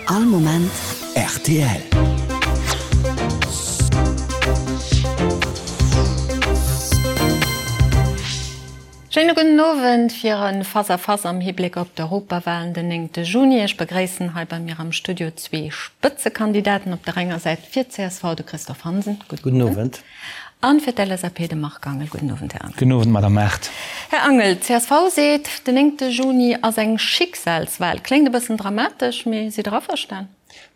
All Moment rtl. Schéine gudden Owend fir e Face à Face am Hibléck op d'Europawahlen den 9 Juni. Ech begréissen hei bei mir am Studio zwee Spëtzekandidaten. Op der enger Säit fir d'CSV de Christophe Hansen. Gudden Owend. An fir d'LSAP de Marc Angel. Gudden Owend, Här Angel. Gudden Owend, Madame Mart. Här Angel, d'CSV seet, den 9 Juni ass eng Schicksalswahl. Kléngt e bëssen dramatesch, mee sidd Der averstan?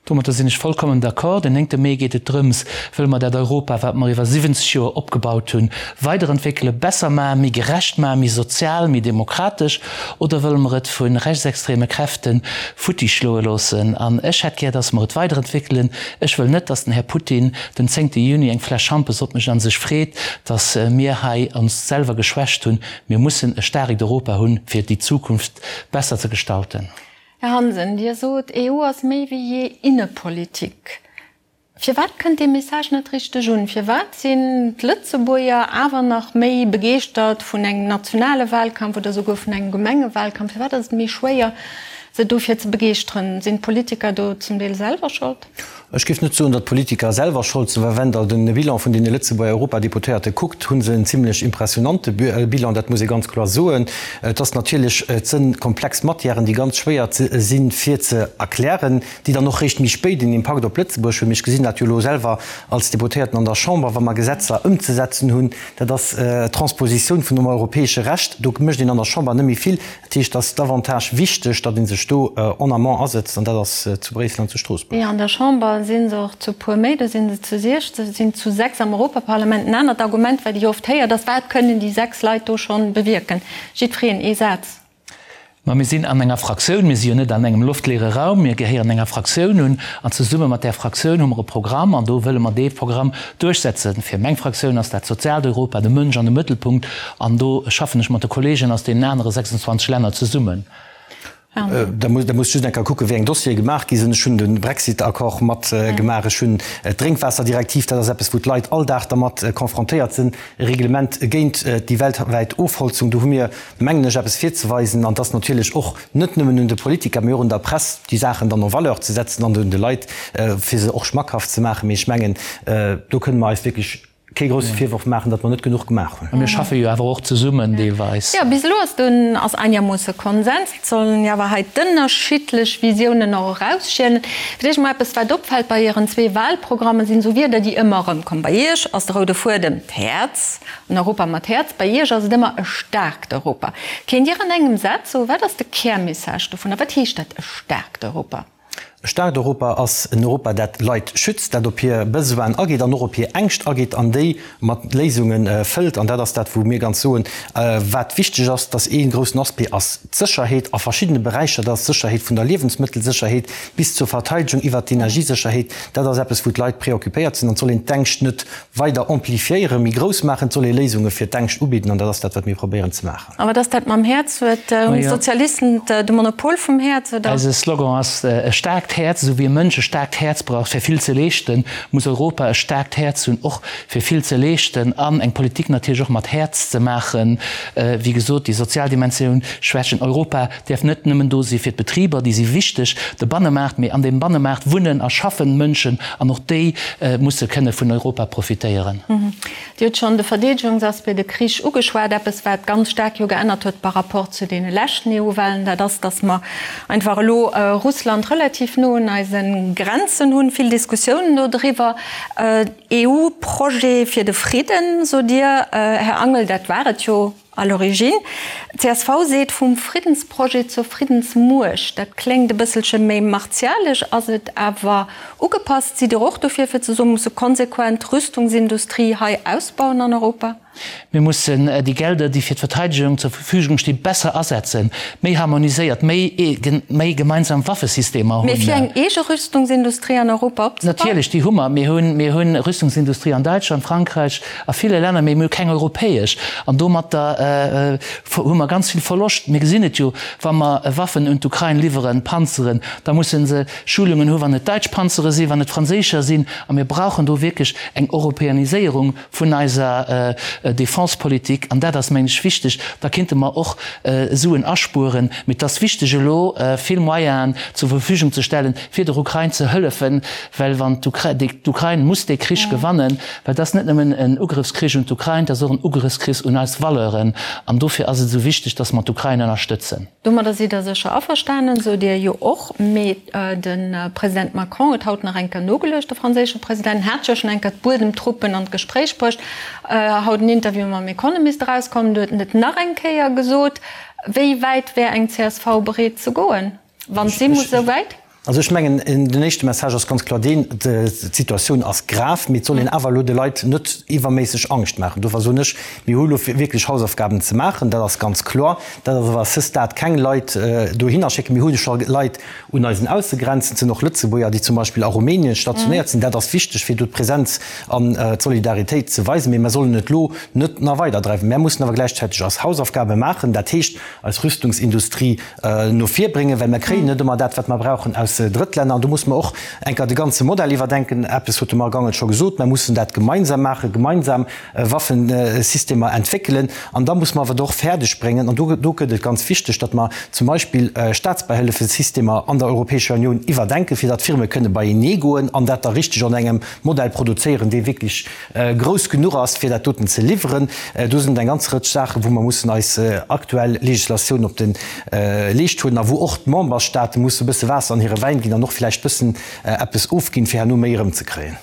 Domatter sinn ech vollkommen d'accord. Den 9 Mee geet et drëms, Wëlle mer dat Europa, wat mer iwwer 70 Joer opgebaut hunn, weiderentwéckelen, besser maachen, méi gerecht maachen, méi sozial, méi demokratesch, oder wëlle mer et vu rechtsextreme Kräfte futti schloe loossen? An ech hätt gär, dass mer et weiderentwéckelen. Ech wëll net, dass den Här Putin den zéngte Juni eng Fläsch Schampes opmécht a sech freet, dass mir hei ons selwer geschwächt hunn. Mir mussen e staarkt Europa hunn, fir déi Zukunft besser ze gestalten. Här Hansen, Dir sot, EU ass méi wéi jee Innepolitik. Firwat kënnt dee Message net richteg un? Firwat sinn d'Lëtzebuerger awer nach méi begeeschtert vun engem nationale Wahlkampf oder souguer vun engem Gemengewahlkampf? Firwat ass et méi schwéier, se dofir ze begeeschteren? Sinn d'Politiker do zum Deel selwer Schold? Ech géif net soen, datt d'Politiker selwer Schold sinn, well wenn Der de Bilan vun deene Lëtzebuerger Europadeputéierte kuckt, hu se en zimlech impressionante Bilan, dat muss ee ganz kloer soen. Et ass natierlech, et sënn komplex Matièren, déi ganz schwéier sinn, fir ze erklären, déi dann och réischt méi spéit en Impakt op Lëtzebuerg hunn. Mee ech gesinn dat jo elo selwer als Deputéierten an der Chamber, wa mer Gesetzer ëmzesetzen hunn, dat ass d'Transpositioun vun dem europäesche Recht, do mécht een an der Chamber net méi vill. Dat heescht, et ass davantage wichteg, datt ee sech do en amont asetzt, an dat ass zu Bréissel an zu Stroossbuerg. Jo, an der Chamber si se och zu puer méi, do si se zu 16, sinn zu 6 am Europaparlament. En anert Argument, wat Dir oft héiert, ass, Wat kënnen déi 6 Leit do schonn bewierken? Jiddwereen ee Saz. Ma mir sinn an enger Fraktioun, mir si jo net an engem loftleere Raum, mir gehéieren enger Fraktioun un an zesumme mat där Fraktioun hu mer e Programm an do wëlle mer dee Programm duerchsetzen. Fir meng Fraktioun ass dat soziaalt Europa, de Mënsch an de Mëttelpunkt an do schaffen ech mat de Kollegen aus deenen anere 26 Länner zesummen. Da muss just eng Kéier kucken, wéi eng Dossiere gemaach gi sinn. Ech hunn de Brexit-Accord mat gemaach, ech hunn d'Drénkwaasserdirektiv, dat ass eppes, wou d'Leit all Dag dermat confrontéiert sinn, e Reglement géint déi weltwäit Ofholzung. Do hu mir, mengen ech, eppes virzeweisen. An et ass natierlech och net nëmmen un de Politiker, mee och un der Press, déi Saachen dann en valeur ze setzen an un de Leit, fir se och schmackhaft ze maachen. Mee ech mengen, do kënne mer eis wierklech kee grousse Virworf maachen, datt mer net genuch gemaach hunn. A mir schaffe jo awer och zesummen deelweis. Jo, bis elo ass do ass einermoosse Konsens. Et sollen jo awer hei d'ënnerschiddlech Visiounen och erausschielen. Fir d'éischt emol eppes, wat opfält bei Ieren zwee Wahlprogrammen, sinn esou Wierder, déi ëmmer erëmkommen. Bei Iech ass de roude Fuedem d'Häerz, en Europa mat Häerz. Bei Iech ass et ëmmer e staarkt Europa. Kéint Dir an engem Saz soen, wat ass de Kärmessage dovunner? Wat heescht dat, e staarkt Europa? E staarkt Europa ass en Europa, dat Leit schützt, dat op hir Besoinen ageet an och op hir Ängscht ageet an déi mat Léisunge fëllt. An dat ass dat, wou mir ganz soen, wat wichteg ass, dass ee groussen Aspect ass d'Sécherheet a verschiddene Beräicher, dat ass d'Sécherheet vun der Liewensmëttelsécherheet bis zur Verteidegung iwwert d'Energiesécherheet. Dat ass eppes, wou d'Leit préoccupéiert sinn. An et soll een d'Ängscht net weider amplifiéieren, méi grouss maachen. Et soll ee Léisunge fir d'Ängscht ubidden an dat ass dat, wat mir probéieren ze maachen. A wat ass dat mam Häerz? Huet hunn d'Sozialisten de Monopol vum Häerz, oder? Eise Slogan ass e staarkt Häerz. Esou wéi e Mënsch e staarkt Häerz brauch fir vill ze leeschten, muss Europa e staarkt Häerz hunn och fir vill ze leeschten an eng Politik natierlech och mat Häerz ze maachen. Wéi gesot, déi sozial Dimensioun schwächen. Europa däerf net nëmmen do si fir d'Betriber, déi si wichteg, de Bannemaart, mee an deem Bannemaart wunnen a schaffen Mënschen an och déi musse kënne vun Europa profitéieren. Dir hutt schonn de Verdeedegungsaspect, de Krich ugeschwat. Eppes, wat ganz staark jo geännert huet par rapport zu deene leschten EU-Wahlen, dat ass, datt mer einfach elo Russland relativ no un eise Grenzen hunn. Vill Diskussiounen do driwwer. EU-Projet fir de Fridden, sot Dir, Här Angel, dat war et jo à l'origine. Csv seet, vum Friddensprojet zur Friddensmuecht. Dat kléngt e bësselche méi martialesch, ass et awer ugepasst. Sidd Dir och dofir, fir ze soen, mir musse konsequent d'Rüstungsindustrie hei ausbauen an Europa? Mir mussen déi Gelder, déi fir d'Verteidegung zur Verfügung stinn, besser asetzen, méi harmoniséiert, méi méi gemeinsam Waffesystemer hunn. Mee fir eng eege Rüstungsindustrie an Europa opzebauen? Natierlech, déi hu mer. Mir hunn, mir hunn Rüstungsindustrie an Däitschland, Frankräich, A ville Länner, mee mir hu keng europäesch. An domatter hu mer ganz vill Verloscht. Mir gesinn et jo, wa mer Waffen un d'Ukrain liwweren, Panzeren, da musse se Schulungen hu wann et däitsch Panzere sinn, wann et franséischer sinn. A mir brauchen do wierklech eng Europäaniséierung vun eiser. Defensepolitik, an dat ass, mengen ech, wichteg, da kinnte mer och Suen aspueren. Mee et ass wichteg elo vill Moyenen zur Verfügung ze stellen, fir der Ukrain ze hëllefen, well wann d'Ukrain muss dee Krich gewannen, well et ass net nëmmen en Ugrëffskrich un d'Ukrain, et ass och en Ugrëffskrich un eis Valeuren, an dofir ass et esou wichteg, datt mer d'Ukrain ënnerstëtzen. Domadder sidd Der sécher averstanen, sot Dir jo och. Mee de President Macron huet haut nach eng Kéier nogeluecht, de franséische President hat jo schonn eng Kéier d'Buedemtruppen an d'Gespréich bruecht. Haut en Interview mam Economist erauskomm, do huet en et nach eng Kéier gesot. Wéi wäit wär eng csv bereet ze goen, wann et si muss esou wäit? Also ech mengen, den éischte Message ass ganz kloer deen, D'Situatioun ass grav, mee et soll een awer elo de Leit net iwwerméisseg Angscht maachen. Dofir soen ech, mir hu elo wierklech Hausaufgaben ze maachen, dat ass ganz kloer. Dat ass awer à ce stade keng Leit dohinner schécken. Mir hu scho Leit un eisen Aussegrenzen, et sinn och Lëtzebuerger, déi zum Beispill a Rumänien stationéiert sinn. Dat ass wichteg, fir do d'Presenz an d'Solidaritéit ze weisen. Mee mer sollen et elo net nach weiderdreiwen. Mär mussen awer gläichzäiteg eis Hausaufgabe maachen, dat heescht eis Rüstungsindustrie no vir bréngen, well mer kréien net ëmmer dat, wat mer brauchen aus Drëttlänner. An do musse mer och eng Kéier de ganze Modell iwwerdenken. Eppes huet de Marc Angel scho gesot, Mer mussen dat gemeinsam maachen, gemeinsam Waffensystemer entwéckelen. An da musse mer awer et och fäerdeg bréngen, an do do gëtt et ganz wichteg, datt mer zum Beispill Staatsbäihëllefesystemer an der Europäescher Unioun iwwerdenken, fir datt d'Firme kënne beienee goen an dat da richteg an engem Modell produzéieren, dee wierklech grouss genuch ass, fir dat doten ze liwweren. Do sinn et eng ganz Rëtsch Saachen, wou mer mussen eis aktuell Legislatioun op de Leescht huelen a wou och d'Memberstate musse e bësse Waasser an hire Wäin ginn an och vläicht bëssen eppes ofginn, fir herno méi erëmzekréien.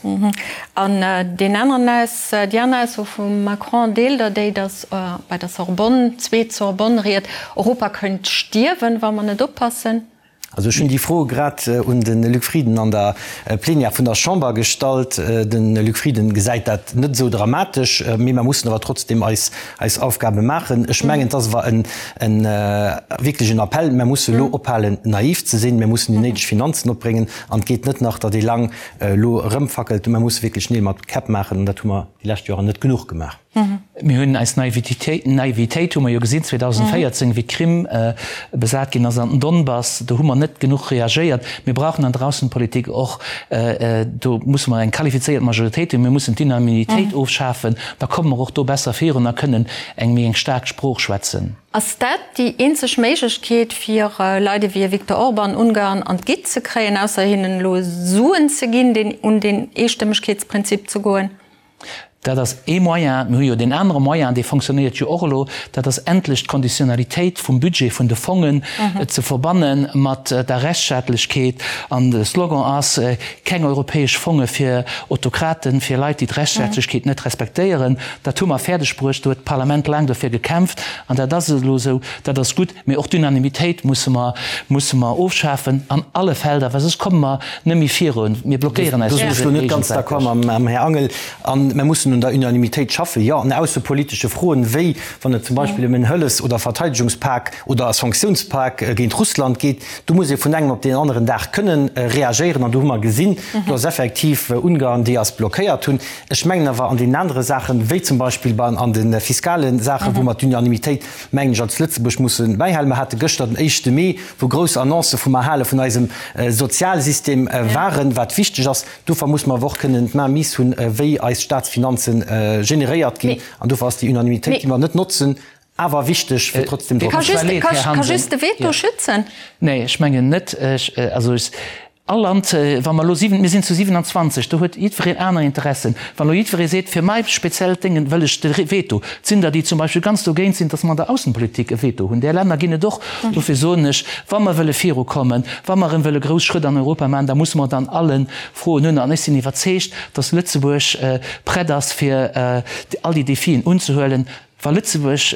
An deen aneren Aus, déi aner Ausso vum Macron, deelt Der déi, datt bei der Sorbonne, zweet Sorbonne-Ried, Europa kënnt stierwen, wa mer net oppassen? Also ech hunn déi Fro grad un de Luc Frieden an der Plenière vun der Chamber gestallt. De Luc Frieden gesäit dat net esou dramatesch, mee mer mussen awer trotzdem eis eis Aufgabe maachen. Ech mengen, et ass awer en en wierklech en Appell, Mer musse elo ophalen naiv ze sinn, mir mussen déi néideg Finanzen opbréngen an et geet net nach, datt ee laang elo erëmfackelt. Mer musse wierklech Neel mat Käpp maachen an dat hu mer déi lescht Joren net genuch gemaach. Mir hunn eis Naivitéit, Naivitéit hu mer jo gesinn 2014, wéi d'Krim besat ginn ass an den Donbass, do hu mer net genuch reagéiert. Mir brauchen an der Aussenpolitik och, do musse mer eng qualifizéiert Majoritéit hunn, mir mussen d'Unanimitéit ofschafen, da komme mer och do besser virun a kënnen eng méi eng staark Sprooch schwätzen. Ass dat déi eenzeg Méiglechkeet, fir Leit ewéi e Viktor Orban Ungarn an d'Gitt ze kréien, ausser hinnen elo Suen ze ginn, deen un deen Eestëmmegkeetsprinzip ze goen? Dat ass ee Moyen. Mir hu jo deen anere Moyen, dee fonctionnéiert jo och elo, dat ass endlech d'Konditionnalitéit vum Budget vun de Fongen ze verbanne mat der Rechtsstaatlechkeet. An de Slogan ass, Keng europäesch Fonge fir Autokraten, fir Leit, déi d'Rechtsstaatlechkeet net respektéieren. Dat hu mer fäerdeg bruecht. Do huet d'Parlament laang dofir gekämpft an dat ass elo esou. Dat ass gutt. Mee och d'Unanimitéit musse mer, musse mer ofschafen an alle Felder, well soss komme mer net méi virun. Mir blockéieren eis Do sinn ech lo net ganz d'accord mam Här Angel. A mer mussen un der Unanimitéit schaffen, jo, an aussepolitesche Froen, wéi wann et zum Beispill ëm en Hëllefs oder Verteidegungspak oder e Sanktiounspak géint Russland geet. Do muss ee vun engem op deen aneren Dag kënnen reagéieren. An do hu mer gesinn, do ass effektiv Ungarn, déi eis blockéiert hunn. Ech mengen awer an deenen anere Saachen, wéi zum Beispill bei an de fiskale Saachen, wou mer d'Unanimitéit, mengen ech, als Lëtzebuerg musse bäihalen. Mer hate gëschter den éischte Mee, wou grouss Annoncë vum Erhale vun eisem Sozialsystem waren, wat wichteg ass. Dofir musse mer awer och kënnen d'Main mise hunn, wéi eis Staatsfinanze generéiert ginn. An dofir ass déi Unanimitéit, déi mer net notzen, awer wichteg, fir trotzdem drop ze. Ka just de Veto schützen? Nee, ech mengen net. Also ech. All Land, wa mer elo siwen, mir sinn zu 27, do huet jiddwereen aner Interessen. Wann elo jiddweree seet, fir mäi speziellt Déngen wëll ech de Veto, et sinn der, déi zum Beispill ganz dogéint sinn, datt mer an der Aussenpolitik e Veto hunn. Där Länner ginn et och. Dofir soen ech, wa mer wëlle virukommen, wa mer erëm wëlle grouss Schrëtt an Europa maachen, da musse mer et an alle Froen hunn. An ech sinn iwwerzeegt, datt Lëtzebuerg prett ass, fir all déi Defien unzehuelen. Wa Lëtzebuerg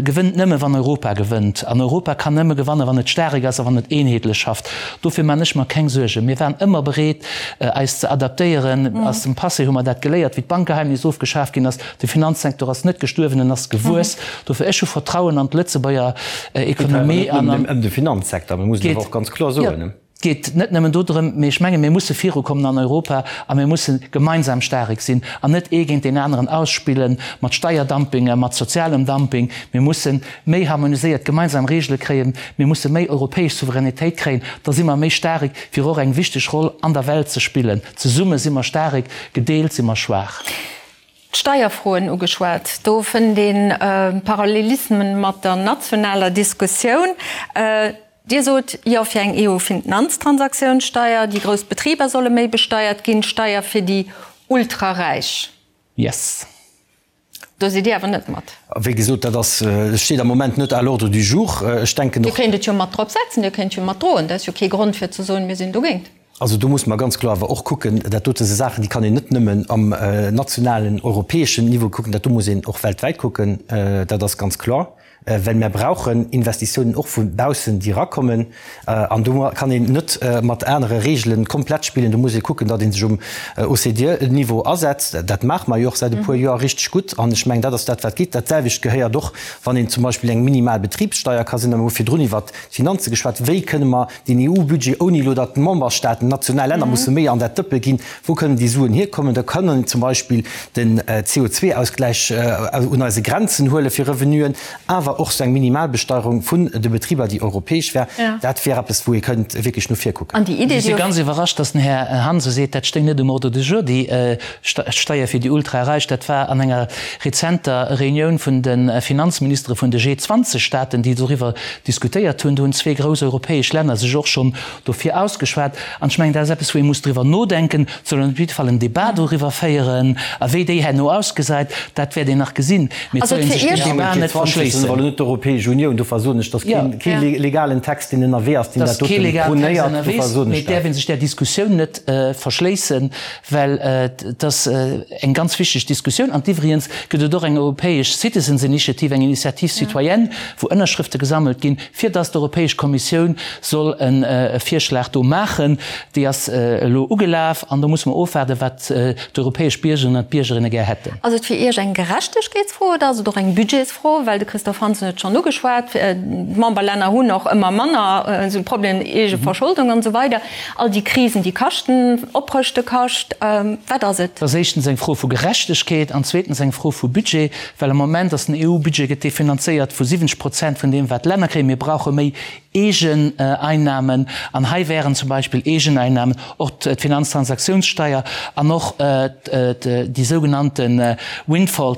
gewënnt nëmme wann Europa gewënnt. An Europa kann nëmme gewannen, wann et staarek ass a wann et eenheetlech schafft. Dofir man ech mer keng Suergen. Mir waren ëmmer bereet eis ze adaptéieren. Aus dem Passé hu mer dat geléiert, wéi d'Bankgeheimnis ofgeschaf ginn ass. De Finanzsektor ass net gestuerwen, en ass gewuess. Dofir, ech hu Vertrauen an d'Lëtzebuerger Ekonomie an an. Et geet awer net nëmmen ëm de Finanzsektor, mir mussen awer och ganz kloer soen. Et geet net nëmmen dodrëm, mee ech menge mir musse virukommen an Europa a mir musse gemeinsam staarek sinn an net ee géint deen aneren ausspille mat Steierdumpinge, mat sozialem Dumping. Mir musse méi harmoniséiert gemeinsam Regele kréien, mir musse méi europäesch Souveränitéit kréien, da si mer méi staarek fir och eng wichteg Roll an der Welt ze spillen. Zesumme si mer staarek, gedeelt si mer schwaach. D'Steierfroen ugeschwat. Do fënnt ee Parallelismen mat der nationaler Diskussioun. Dir sot Jo fir eng EU-Finanztransaktiounssteier, déi grouss Betriber solle méi besteiert ginn, Steier fir déi Ultraräich. Yes. Do sidd Dir awer net mat. Wéi gesot, dat ass, steet am Moment net à l'ordre du jour. Ech denken och. Dir kéint et jo mat drop setzen, Dir kéint jo mat droen. Dat ass jo kee Grond fir ze soen, mir sinn dogéint. Also do muss mer ganz kloer awer och kucken, dat dote si Saachen, déi kann een net nëmmen am nationalen, europäeschen Niveau kucken, dat do muss een och weltwäit kucken, dat ass ganz kloer, well mer brauchen Investitiounen och vu baussen, déi erakommen. An do kann een net mat anere Reegele komplett spillen, do muss ee kucken, datt ee sech um OCDE-Niveau asetzt. Dat maache mer jo och säit e puer Joer richteg gutt an ech mengen, dat ass dat, wat geet. Dat selwecht gehéiert och, wann een zum Beispill eng minimal Betribssteier ka sinn, da hu mer virdrun iwwert d'Finanze geschwat, wéi kënne mer Den EU-Budget, ouni elo datt d'Memberstaaten, national Länner musse méi an dat Dëppe ginn, wou kënnen déi Suen hierkommen? Da kann een zum Beispill den CO2-Ausgläich un eise Grenzen huele fir Revenuen, awer och sou eng Minimalbesteierung vun de Betriber, déi europäesch wär. Dat wär eppes, wou ee kënnt wierklech no vir kucken. Ech si ganz iwwerrascht, datt den Här Hansen seet, dat stéing net um Ordre du jour, déi Steier fir déi Ultraräich. Dat war an enger rezenter Reunioun vun de Finanzministere vun de G20-Staaten, déi doriwwer diskutéiert hunn. Do hunn zwee grouss europäesch Länner sech och schonn dofir ausgeschwat. An ech mengen, dat ass eppes, wou ee muss driwwer nodenken. Et soll een op jidde Fall en Débat doriwwer féieren. A wéi déi herno ausgesäit, dat wäert een nach gesinn. Mee et soll ee sech deen Débat net verschléissen. Awer net d'Europäesch Unioun. Dofir soen ech, dass kee legalen Text, deen ënnerwee ass, deen dat doten prônéiert. Dofir soen ech dat. Mee et däerf ee sech där Diskussioun net verschléissen, well et ass eng ganz wichteg Diskussioun. An iwwregens gëtt et och eng europäesch Citizens Initiative, eng Initiative citoyenne, wou Ënnerschrëfte gesammelt ginn, fir dass d'Europäesch Kommissioun soll e Virschlag do maachen. Déi ass elo ugelaf an do musse mer ofwaarden, wat d'europäesch Biergerinnen an d'Biergerinne gär hätten. Ass et fir Iech eng Gerechtegkeetsfro oder ass et och eng Budgetsfro? Well de Christophe Hansen huet et schonn ugeschwat, d'Memberlänner hunn och ëmmer manner esou Problemen, Eegeverscholdung an esou weider. All déi Krisen, déi kaschten, Oprëschte kascht. Wat ass et? Et ass éischtens eng Fro vu Gerechtegkeet an zweetens eng Fro vu Budget, well am Moment ass den EU-Budget gëtt dee finanzéiert vu 70 Prozent vun deem, wat d'Länner kréien. Mir brauche méi Eegeneinnahmen an hei wären zum Beispill Eegeneinnahmen och d'Finanztransaktionssteuer an och déi sougenannte Windfall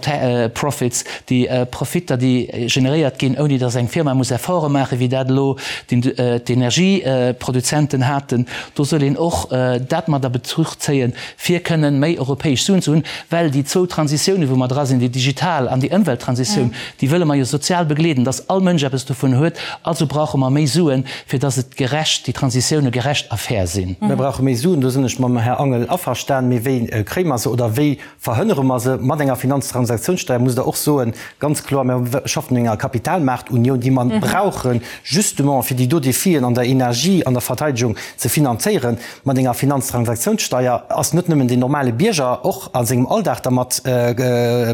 profits, déi Profitter, déi generéiert ginn, ouni datt eng Firma muss Efforte maachen, wéi dat elo d'Energieproduzenten haten. Do soll een och dat mat a Bezuch zéien, fir kënnen méi europäesch Suen ze hunn, well déi zwou Transitiounen, wou mer dra sinn, déi digital an déi Ëmwelttransitioun, déi wëlle mer jo sozial begleeden, datt all Mënsch eppes dovun huet. Also brauche mer méi Suen, fir datt et gerecht, déi Transitioune gerecht a fair sinn. Mir brauche méi Suen, do sinn ech mam Här Angel averstan. Mee wéi kréie mer se oder wéi Verhënnere mer se mat enger Finanztransaktionssteuer, musst Der och soen, ganz kloer, mir schaffen un enger Kapitalmaartunioun, déi mer brauchen, justement fir déi do Defien an der Energie, an der Verteidigung ze finanzéieren. Mat enger Finanztransaktionssteuer ass net nëmmen den normale Bierger och a sengem Alldag dermat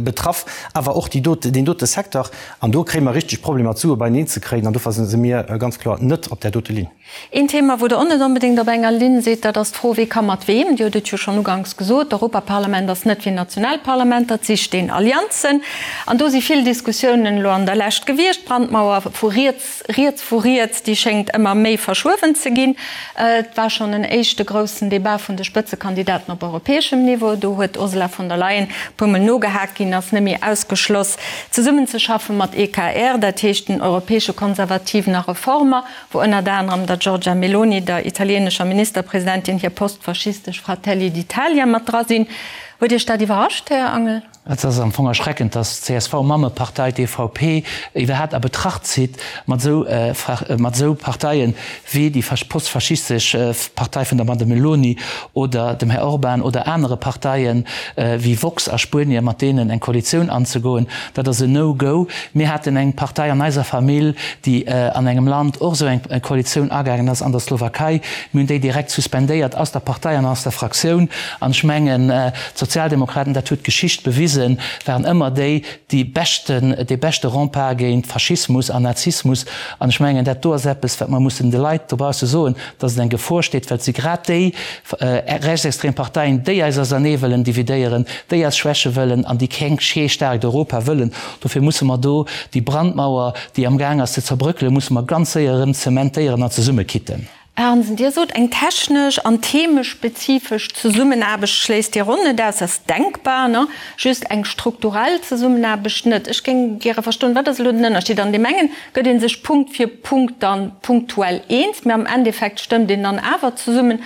betraff, awer och déi dote, deen dote Secteur. An do kréie mer richteg Problemer, d'Sue beieneen ze kréien. An dofir si mir ganz kloer net op där dote Linn. Een Thema, wou Der och net onbedéngt op enger Linn sidd, dat ass d'Fro, Wie ka mat weem? Dir hutt et jo schonn uganks gesot, d'Europaparlament ass net wéi national Parlamenter, et sicht een Allianzen. An do si vill Diskussiounen elo an der Lescht gewiescht. D'Brandmauer vu riets, riets vu riets, déi schéngt ëmmer méi verschuewen ze ginn. Et war schonn en éischte groussen Debat vun de Spëtzekandidaten op europäeschem Niveau. Do huet d'Ursula von der Leyen e puermol nogehaakt ginn, ass net méi ausgeschloss, zesummenzeschaffen mat EKR, dat heescht den europäesche Konservativen a Reformer. wou ënnert anerem der Giorgia Meloni, der italienescher Ministerpresidentin, hir postfaschistesch Fratelli d'Italia mat dra sinn. Huet Iech dat iwwerrascht, Här Angel? Et ass am Fong erschreckend, datt d'CSV-Mammepartei, d'EVP, iwwerhaapt a Betracht zitt, mat esou mat esou Parteien wéi déi postfaschistesch Partei vun der Madame Meloni oder dem Här Orban oder anere Parteien wéi Vox a Spuenien, mat deenen eng Koalitioun anzegoen. Dat ass en No-Go. Mir haten eng Partei an eiser Famill, déi an engem Land och esou eng Koalitioun agaangen ass, an der Slowakei. Mir hunn déi direkt suspendéiert aus der Partei an aus der Fraktioun. An ech mengen, d'Sozialdemokraten, dat huet d'Geschicht bewisen, waren ëmmer déi, déi beschten, dee beschte Rempart géint Faschismus an Nazismus. An ech mengen, dat do ass eppes, wat mer mussen de Leit dobausse soen, dass et eng Gefor steet, well et si grad déi rechtsextrem Parteien, déi eis ausernee wëllen dividéieren, déi eis schwäche wëllen an déi keng kee staarkt Europa wëllen. Dofir musse mer do déi Brandmauer, déi amgaang ass ze zerbröckelen, musse mer ganz séier erëm zementéieren an zesummekitten. Här Hansen, Dir sot, eng technesch an themespezifesch Zesummenaarbecht schléisst Dir och net aus. Dat ass denkbar, ne? Just eng strukturell Zesummenaarbecht net. Ech géing gäre verstoen, wat ass elo den Ënnerscheed? An deem engen gëtt ee sech Punkt fir Punkt dann punktuell eens, mä am Endeffekt stëmmt een dann awer zesummen.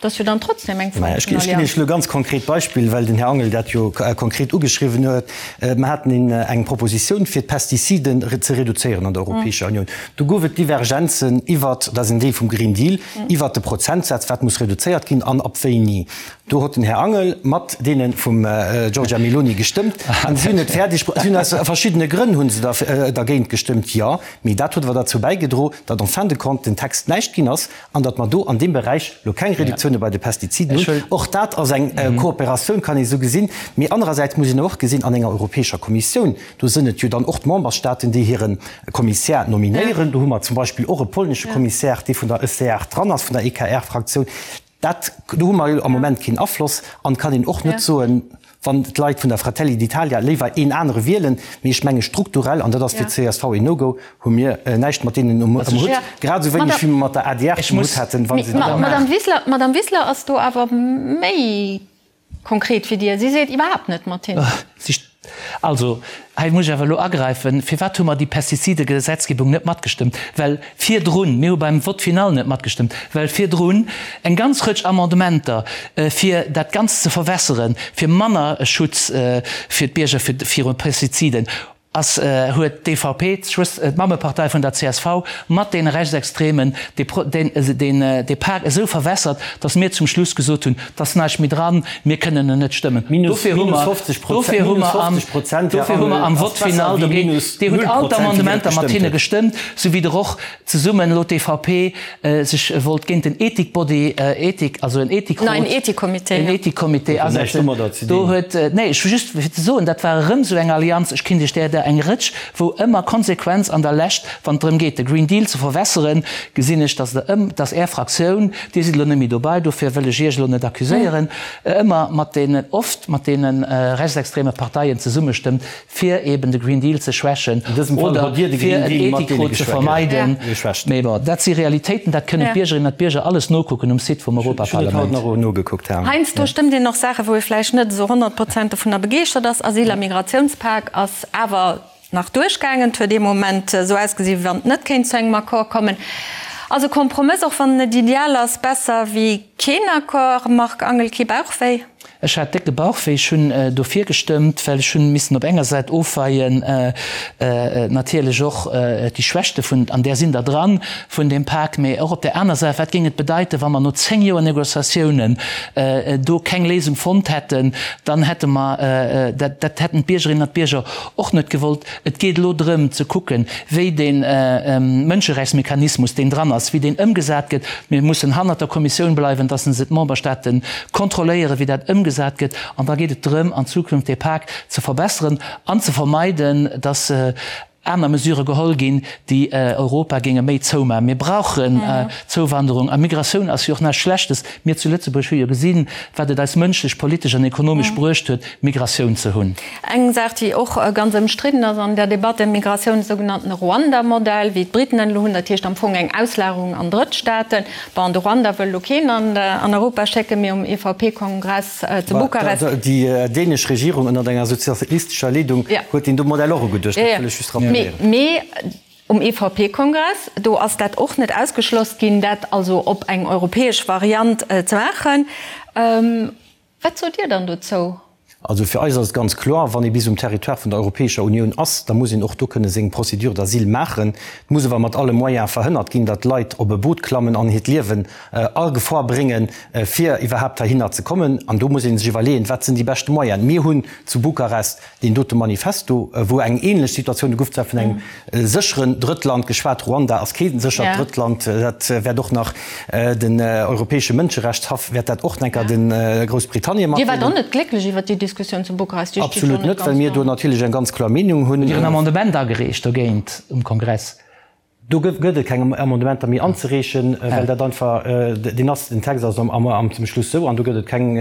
Dat ass jo dann trotzdem eng Form vun Allianz. Ech ginn Iech elo e ganz konkret Beispill, well den Här Angel dat jo konkret ugeschriwwen huet. Mer haten eng Propositioun, fir d'Pestiziden ze reduzéieren an der Europäescher Unioun. Do gouf et Divergenzen iwwert, dat ass en Deel vum Green Deal, iwwert de Prozentsaz, wat muss reduzéiert ginn an ab wéini. Do huet den Här Angel mat deene vum Giorgia Meloni gestëmmt an si hunn et fäerdeg, si hunn aus verschiddene Grënn hu se dergéint gestëmmt, jo, mee dat huet awer derzou bäigedro, datt en fin de compte den Text näischt ginn ass an datt mer do an deem Beräich elo keng Reduktioune bei de Pestiziden hunn. Och dat ass eng Kooperatioun, kann ee esou gesinn. Mee anerersäits muss een och gesinn, an enger Europäescher Kommissioun, do sënn et jo dann och d'Memberstaaten, déi hire Kommissär nominéieren. Do hu mer zum Beispill och e polnesche Kommissär, dee vun der ECR dran ass, vun der EKR-Fraktioun. Dat, do hu mer jo am Moment keen Afloss an kann een och net soen, wann d'Leit vun der Fratelli d'Italia léiwer een anere wielen. Mee ech menge strukturell, an dat ass fir d'CSV een No-Go, hu mir näischt mat deenen um Hutt, grad esou wéineg wéi mer mat der adr um Hutt hätten, wa se déi. D'Madame Wiseler ass do awer méi Konkret wéi Dir. Si seet iwwerhaapt net mat hinnen. Also, hei muss ech awer elo agräifen. Firwat hu mer déi Pestizidegesetzgebung net matgestëmmt? Well virdrun, mir hu beim Vote final net matgestëmmt, well virdrun eng ganz Rëtsch Amendementer, fir dat Ganzt ze verwässeren, fir manner Schutz fir d'Bierger viru Pestiziden, Ass, huet d'EVP, d'Mammepartei vun der csv, mat deene Rechtsextremen dee Pak esou verwässert, datt mir zum Schluss gesot hunn, et ass näischt méi dran, mir kënnen en net stëmmen. Dofir hu mer, dofir hu mer am, dofir hu mer am Vote final dogéint, Dir hutt all d'Amendementer mat hinne gestëmmt, sou wéi der och zesummen elo d'EVP sech wollt géint den Ethikbody, Ethik, also en Ethikrot, Neien Ethikcomité, en Ethikcomité asetzen. Do huet, nee, ech just fir ze soen, dat war erëm esou eng Allianz, ech kinnt Iech där der eng Rëtsch, wou ëmmer Konsequenz an der Lescht, wann et drëm geet, de Green Deal ze verwässeren, gesinn ech, dass Der ëm, dass Är Fraktioun, Dir sidd elo net méi dobei, dofir wëll ech Iech elo net accuséieren, ëmmer mat deenen, oft mat deene rechtsextreme Parteien zesummestëmmt, fir eben de Green Deal ze schwächen oder fir en Ethikrot ze vermeiden. Mee bon, dat si Realitéiten, dat kënnen d'Biergerinnen an d'Bierger alles nokucken um Site vum Europaparlament. Heiansdo stëmmt een och Saachen, wou ee vläicht net esou 100 Prozent dovunner begeeschtert ass. Asyl a Migratiounspak ass awer nach duerchgaangen. Et huet ee Moment esou ausgesi wéi wann et net kéint zu engem Accord kommen. Ass e Kompromëss, och wann en net ideal ass, besser wéi keen Accord? Marc Angel, Kee Bauchwéi? Ech hat décke Bauchwéi. Ech hunn dofir gestëmmt, well ech hunn missen op enger Säit ofweien, natierlech och déi Schwächte vun, an där sinn der dran, vun deem Pak, mee och op där aner Säit, wat géing et bedeiten, wa mer no 10 Joer Négociatiounen do keng Léisung fonnt hätten, dann hätte mer dat, dat hätten d'Biergerinnen an d'Bierger och net gewollt. Et geet elo drëm ze kucken, wéi dee Mënscherechtsmechanismus, deen dran ass, wéi deen ëmgesat gëtt. Mir mussen hannert der Kommissioun bleiwen, dass se d'Memberstaate kontrolléieren, wéi dat ëmgesat gëtt. An da geet et drëm, an Zukunft dee Pak ze verbesseren an ze vermeiden, dass aner Mesurë geholl ginn, déi Europa géinge méi zoumaachen. Mir brauchen Zouwanderung a Migratioun ass jo och näischt Schlechtes. Mir zu Lëtzebuerg hu jo gesinn, wat et eis mënschlech, politesch an ekonomesch bruecht huet, Migratioun ze hunn. Eng Saach, déi och ganz ëmstridden ass an der Debatt ëm Migratioun, de sougenannten Ruanda-Modell, wéi d'Briten en elo hunn, dat heescht am Fong eng Auslagerung an Drëttstaaten. Bon, de Ruanda wëll elo keen an Europa schécken, mee um EVP-Kongress zu Bukarest. Déi dänesch Regierung ënnert enger sozialistescher Leedung huet deen do Modell och ugeduecht, dat wëll ech just rappeléieren. Mee um EVP-Kongress, do ass dat och net ausgeschloss ginn, dat also op eng europäesch Variant ze maachen. Wat sot Dir dann dozou? Also fir eis ass et ganz kloer, wann ee bis um Territoire vun der Europäescher Unioun ass, da muss een och do kënne seng Procédure d'asile maachen. Et muss awer mat alle Moyens verhënnert ginn, datt Leit op e Boot klammen an hiert Liewen a Gefor bréngen, fir iwwerhaapt heihinner ze kommen. An do muss ee sech iwwerleeën, wat sinn déi beschte Moyenen. Mir hunn zu Bukarest Deen dote Manifesto, wou eng ähnlech Situatioun, do gouf zwar vun engem sécheren Drëttland geschwat, Ruanda ass kee séchert Drëttland, dat wäert och nach den Europäesche Mënscherechtshaff wäert dat och enker de Groussbritannien matdeelen. Dir waart och net glécklech iwwert déi Diskussioun zu Bukarest, déi steet jo net ganz do. Absolut net, well mir do natierlech eng ganz kloer Meenung hunn. Hutt Dir en Amendement agereecht dogéint um Kongress? Do gëtt et keng Amendementer méi anzereechen, well dat einfach, deen ass, den Text ass am zum Schluss sou an do gëtt et keng,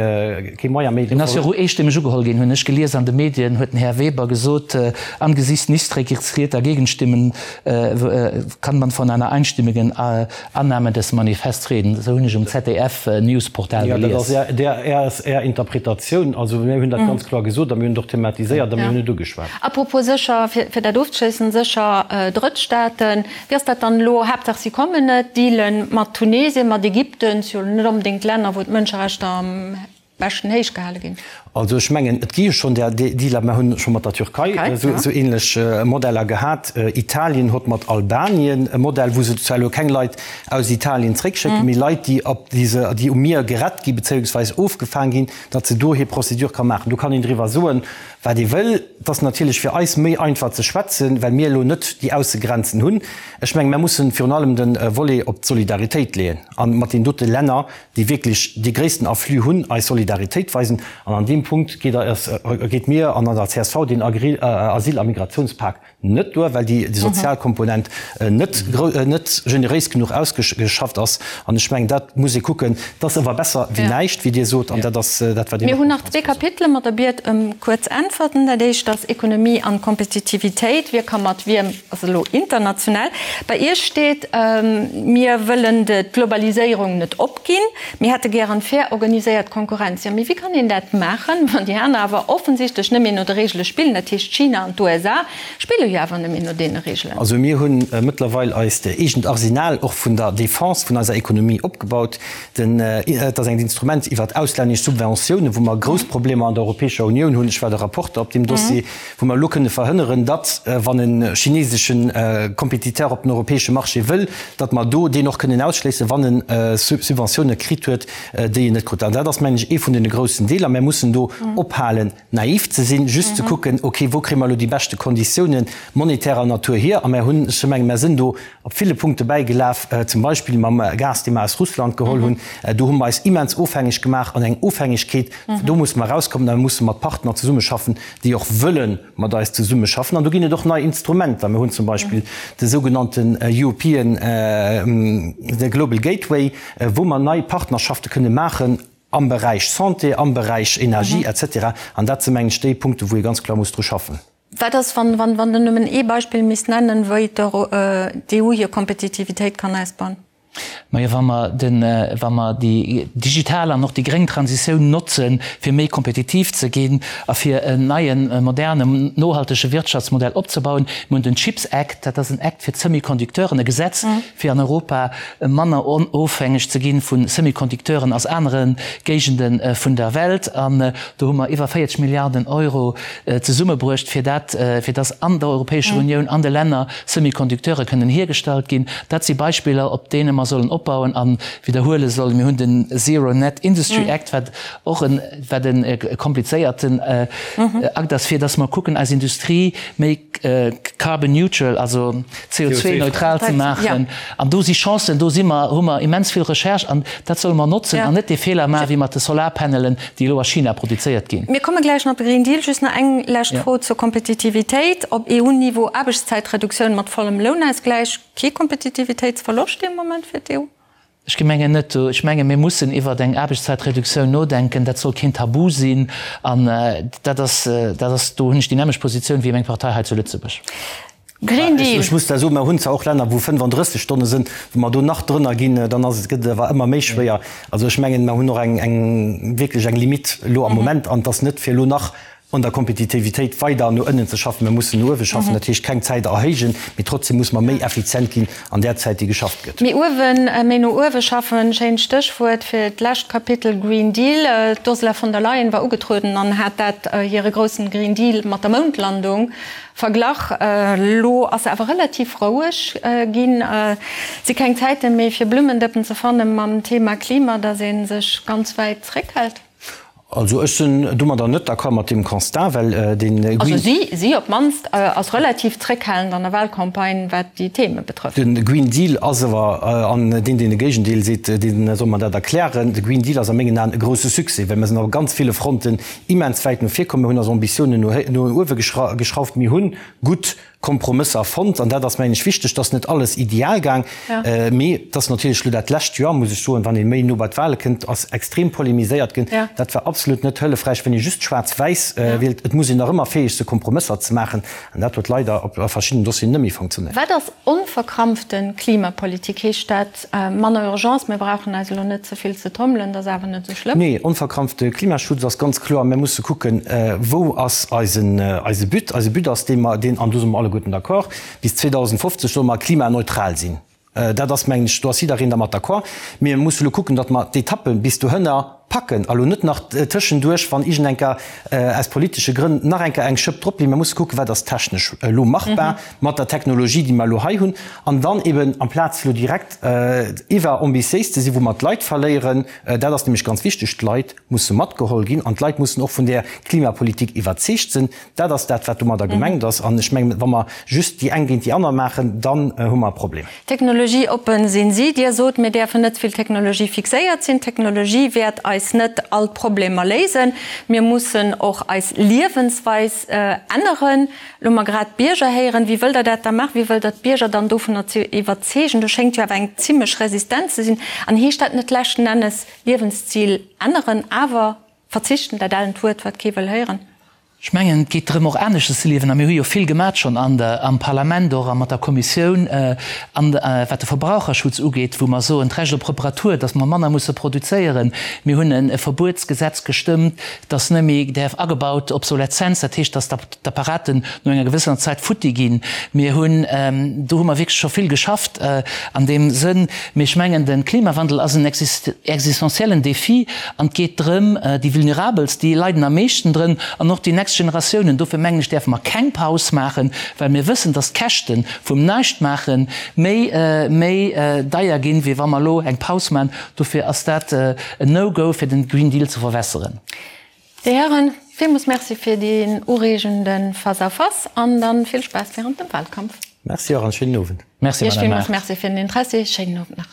kee Moyen méi. Deen ass jo och eestëmmeg ugeholl ginn, hunn ech gelies an de Medien, huet den Här Weber gesot, Angesichts nicht registrierter Gegenstimmen kann man von einer einstimmigen Annahme des Manifests reden. Esou hunn ech um ZDF-Newsportal gelies. Jo, dat ass Är Interpretatioun. Also mir hunn dat ganz kloer gesot a mir hunn et och thematiséiert a mir hunn et ugeschwat. Apropos sécher, fir dat ofzeschléissen, sécher Drëttstaaten, wéi ass dat dann elo? Haaptsaach si kommen net, dealen mat Tunesien, mat Ägypten, si jo net onbedéngt Länner, wou d'Mënscherechter am beschten héich gehale ginn. Also ech mengen, et gi jo schonn där Dealer. Mer hunn scho mat der Türkei esou ähnlech Modeller gehat. Italien hott mat Albanien e Modell, wou se zwar elo keng Leit aus Italien zréckschécken, mee Leit, déi op déi um Mier gerett gi bezéiungsweis ofgefaang ginn, datt se do hir Procédure ka maachen. Do kann een driwwer soen, Wat ee wëll. Et ass natierlech fir eis méi einfach ze schwätzen, well mir elo net déi Aussegrenzen hunn. Ech menge mer mussen virun allem de Volet op d'Solidaritéit leeën a mat deenen dote Länner, déi wierklech dee gréissten Afflux hunn, eis Solidaritéit weisen. An an deem Punkt geet eis, geet mir an der csv deen Asyl a Migrationspak Net duer, well déi sozial Komponent net net generéis genuch ausgeschafft ass. An ech mengen, dat muss ee kucken. Dat ass awer besser wéi näischt, wéi Dir sot, an dat ass dat, wat een Mir hunn nach zwee Kapitele mat der Biet ëm kuerz Äntwerten. Dat éischt ass Ekonomie an Kompetitivitéit. Wie ka mat wiem, ass elo international. Bei Iech steet, Mir wëllen d'Globaliséierung net opginn. Mir hätte gären fair organiséiert Konkurrenz. Jo, mee wéi kann een dat maachen, wann déi aner awer offensichtlech net méi no de Regele spillen? Dat heescht, China an d'USA spille jo awer net méi no deene Regelen. Also mir hu mëttlerweil eist eegent Arsenal och vun der Defense vun eiser Ekonomie opgebaut. Den, et ass eng Instrument iwwert auslännesch Subventiounen, wou mer grouss Problemer an der Europäescher Unioun hunn, ech war de Rapporter op deem Dossier, wou mer elo kënne verhënneren, datt, wann e chinesesche Compétiteur op den europäesche Marché wëll, datt mer do deen och kënnen ausschléissen, wann e Subventioune kritt huet, déi en net krut. An dat ass, mengen ech, ee vun deene groussen Deeler. Mer mussen do ophalen, naiv ze sinn, just ze kucken, okay, wou kréie mer elo déi beschte Konditiounen monetärer Natur hier? A mer hunn, ech menge mer sinn do op ville Punkte bäigelaf, zum Beispill mam Gas, dee mer aus Russland geholl hunn. Do hu mer eis immens ofhängeg gemaach an eng Ofhängegkeet, do musse mer erauskommen a mer musse mat Partner zesummeschaffen, déi och wëlle mat eis zesummeschaffen. An do ginn et och nei Instrumenter. Mir hunn zum Beispill de sougenannten European, de Global Gateway, wou mer nei Partnerschafte kënne maachen am Beräich Santé, am Beräich Energie et cetera. An dat si mengen ech déi Punkte wou ee ganz kloer muss dru schaffen. Wat ass, wann Der nëmmen ee Beispill misst nennen, wéi d'EU hir Kompetitivitéit kann ausbauen? Majo, wa mer den, wa mer déi digital an och déi gréng Transitioun notzen, fir méi kompetitiv ze ginn a fir en neien, modernen, nohaltege Wirtschaftsmodell opzebauen. Mir hunn den Chips Act, dat ass en Act fir d'Semiconducteuren, e Gesetz, fir an Europa manner onofhängeg ze gi vu Semiconducteuren aus anere Géigende vun der Welt. An do hu mer iwwer 40 Milliarden Euro zesummebruecht, fir dat, fir dass an der Europäescher Unioun, an de Länner Semiconducteure kënnen hiergestallt ginn. Dat si Beispiller, op deene mer sollen opbauen a widderhuele sollen. Mir hunn den Zero Net Industry Act, wat och en, wat e komplizéierten Akt ass, fir dass mer kucken, eis Industrie méi carbon neutral, also CO2-neutral ze maachen. An do si Chancen, do si mer, hu mer immens vill Recherche an dat solle mer notzen an net dee Feeler maachen, wéi mat de Solarpanelen, déi elo a China produzéiert ginn. Mir komme gläich nach op de Green Deal. Just nach eng lescht Fro zur Kompetitivitéit. Op EU-Niveau Aarbechtszäitreduktioun mat vollem Lounausgläich, kee Kompetitivitéitsverloscht dee Moment fir d'EU? Ech gemengen net. Ech menge mir mussen iwwert eng Aarbechtszäitreduktioun nodenken. Dat soll keen Tabu sinn. An dat ass, dat ass, do hunn ech déi nämmlecht Positioun wéi meng Partei hei zu Lëtzebuerg. Green Deal. Ech muss da soen, mer hunn zwar och Länner, wou 35 Stonne sinn, wa mer do nach drënner ginn, dann ass et, gëtt et awer ëmmer méi schwéier. Also ech mengen, mer hunn och eng, eng wierklech eng Limite elo am Moment an et ass net fir elo nach un der Kompetitivitéit weider no ënnen ze schaffen. Mer mussen no uewe schaffen, dat heescht keng Zäit erhéijen, mee trotzdem muss mer méi effizient ginn an där Zäit, déi geschafft gëtt. Méi uewen, méi no uewe schaffen, schéint Stéchwuert fir d'lescht Kapitel Green Deal. D'Ursula von der Leyen war ugetrueden an hat dat hire groussen Green Deal mat der Moundlandung Verglach. Elo ass se awer relativ roueg ginn. Et si keng Zäite méi fir Blummendëppen ze fanne mam Thema Klima, datt ee sech ganz wäit zréckhält. Also ech sinn domadder net d'accord mat deem Constat, well dee Green. Also si, si op d'mannst ass relativ zréckhalend an der Wahlcampagne wat déi Theme betrëfft. De Green Deal ass awer, an deen deen de Géigendeel seet, dee soll mer dat erklären, de Green Deal ass a mengen Aen e grousse Succès, well mer sinn op ganz ville Fronten immens wäit no vir komm. Mir hunn eis Ambitiounen no uewe geschrauft. Mir hu gutt Kompromësser fonnt an dat ass, mengen ech, wichteg. Et ass net alles ideal gaang, mee et ass natierlech elo dat lescht Joer, muss ech soen, wann ee méi no bei d'Wahle kënnt, ass extrem polemiséiert ginn. Dat war absolut net hëllefräich, wann ee just schwaarz-wäiss wielt. Et muss een nach ëmmer fäeg se Kompromësser ze maachen an dat huet leider op a verschiddenen Dossieren net méi funktionéiert. Wat ass onverkrampfte Klimapolitik? Heescht dat, Manner Urgence, mir brauchen eis elo net ze vill ze tommelen, dat ass awer net esou schlëmm. Nee, onverkrampfte Klimaschutz ass ganz kloer. Mir musse kucken, wou ass eisen, eise But. Eise But ass dee mer, deen, an do si mer alleguerten d'accord, bis 2050 solle mer klimaneutral sinn. Dat ass, mengen ech, do ass jiddereen dermat d'accord. Mir musse elo kucken, datt mer d'Etappe bis dohënner packen a lo net nach tëschenduerch, wann iergendenker aus politesche Grënn nach eng Kéier eng Schëpp drop leeën. Mir musse kucken, wat ass technesch elo machbar mat der Technologie, déi mer elo hei hunn, an dann eben amplaz elo direkt iwwerambitiéis ze sinn, wou mer d'Leit verléieren, dat ass nämlech ganz wichteg, d'Leit musse matgeholl ginn an d'Leit mussen och vun där Klimapolitik iwwerzeegt sinn. Dat ass dat, wat domadder gemengt ass. An ech mengen, wa mer just déi eng géint déi aner maachen, dann hu mer e Problem. Technologieoppen sinn si. Dir sot, mir däerfen net ze vill technologiefixéiert sinn. D'Technologie wäert eis net all d'Problemer léisen. Mir mussen och eis Liewensweis änneren. Elo hu mer grad d'Bierger héieren. Wéi wëllt Der dat da maachen? Wéi wëllt Der d'Bierger dann dovunner iwwerzeegen? Do schéngt jo awer eng zimlech Resistenz ze sinn. An heescht dat net leschten Ennes Liewensstil änneren, awer verzichten, dat ellent Wuert, wat kee wëll héieren? Ech mengen, et geet drëm, och aneschters ze liewen. A mir hu jo vill gemat schonn an der, am Parlament och a mat der Kommissioun, an wat de Verbraucherschutz ugeet, wou mer soen, d'Recht op Reparatur, dass mer manner musse produzéieren. Mir hunn e Verbuetsgesetz gestëmmt, dass net méi däerf agebaut, Obsoleszenz, dat heescht, dass d'Apparaten no enger gewëssener Zäit futti ginn. Mir hunn, do hu mer wierklech scho vill geschafft an deem Sënn. Mee ech mengen, de Klimawandel ass en existenziellen Défi an et geet drëm, déi Vulnerabelst, déi leiden am meeschten drënn an och déi nächst Generatiounen. Dofir mengen ech, däerfe mer keng Paus maachen, well mir wëssen, dass d'Käschte vum Näischtmaache méi, méi deier ginn, wéi wa mer elo eng Paus maachen. Dofir ass dat en No-Go, fir den Green Deal ze verwässeren. Dir Hären, villmools Merci fir deen ureegende Face-à-face an dann vill Spaass während dem Wahlkampf. Merci och an schéinen Owend. Merci, Iech Madame villmools Maart. Merci fir den Interessi. Schéinen Owend nach.